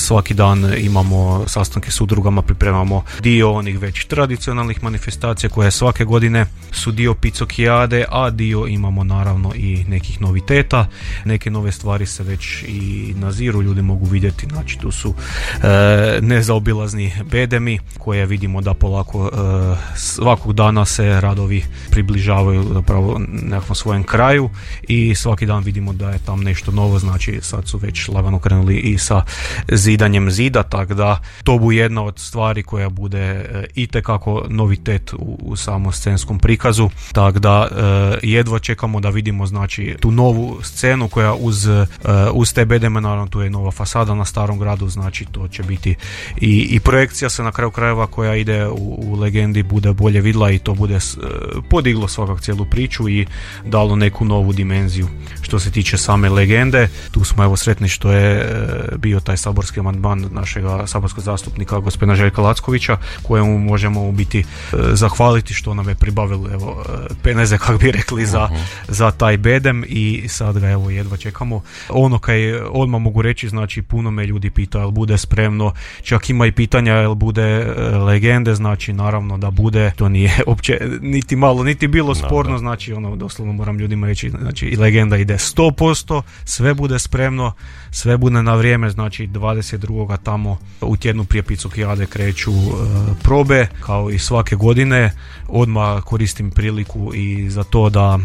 svaki dan imamo sastanke s udrugama, pripremamo dio onih već tradicionalnih manifestacija koje svake godine su dio Picokijade, a dio imamo naravno i nekih noviteta. Neke nove stvari se već i naziru, ljudi mogu vidjeti, znači tu su nezaobilazni bedemi koje vidimo da polako svakog dana se radovi približavaju zapravo nekakvom svojem kraju i svaki dan vidimo da je tam nešto novo, znači sad su već lagano krenuli i sa zidanjem zida, tako da to bu jedna od stvari koja bude itekako novitet u samom scenskom prikazu, tako da jedva čekamo da vidimo znači tu novu scenu koja uz te bedeme, naravno tu je nova fasada na Starom gradu, znači to će biti i projekcija se na kraju krajeva koja ide u legendi bude bolje vidla i to bude podiglo svakak cijelu priču i dalo neku novu dimenziju. Što se tiče same legende, tu smo evo sretni što je bio taj saborski amandman našega saborskog zastupnika gospodina Željka Lackovića, kojemu možemo u biti zahvaliti što nam je pribavili evo peneze, kako bi rekli, za taj bedem i sad ga evo jedva čekamo. Ono kaj odmah mogu reći, znači puno me ljudi pita jel bude spremno, čak ima i pitanja jel bude legende, znači naravno da bude, to nije uopće niti malo, niti bilo sporno, znači ono doslovno moram ljudima reći, znači i legenda ide 100%, sve bude spremno, sve bude na vrijeme, znači 22. tamo u tjednu prije Picokijade kreću probe, kao i svake godine. Odmah koristim priliku i za to da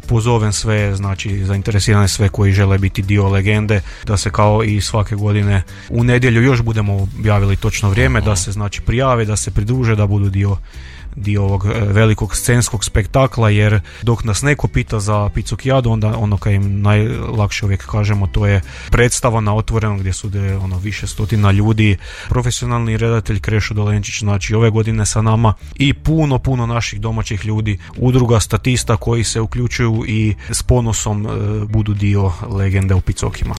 pozovem sve, znači zainteresirane sve koji žele biti dio legende, da se kao i svake godine u nedjelju još budemo objavili točno vrijeme, da se znači prijave, da se pridruže, da budu dio ovog velikog scenskog spektakla, jer dok nas neko pita za Picokijadu, onda ono kaj im najlakše uvijek kažemo, to je predstava na otvorenom gdje su više stotina ljudi, profesionalni redatelj Krešo Dolenčić, znači ove godine sa nama i puno naših domaćih ljudi, udruga statista koji se uključuju i s ponosom budu dio legende u Picokima.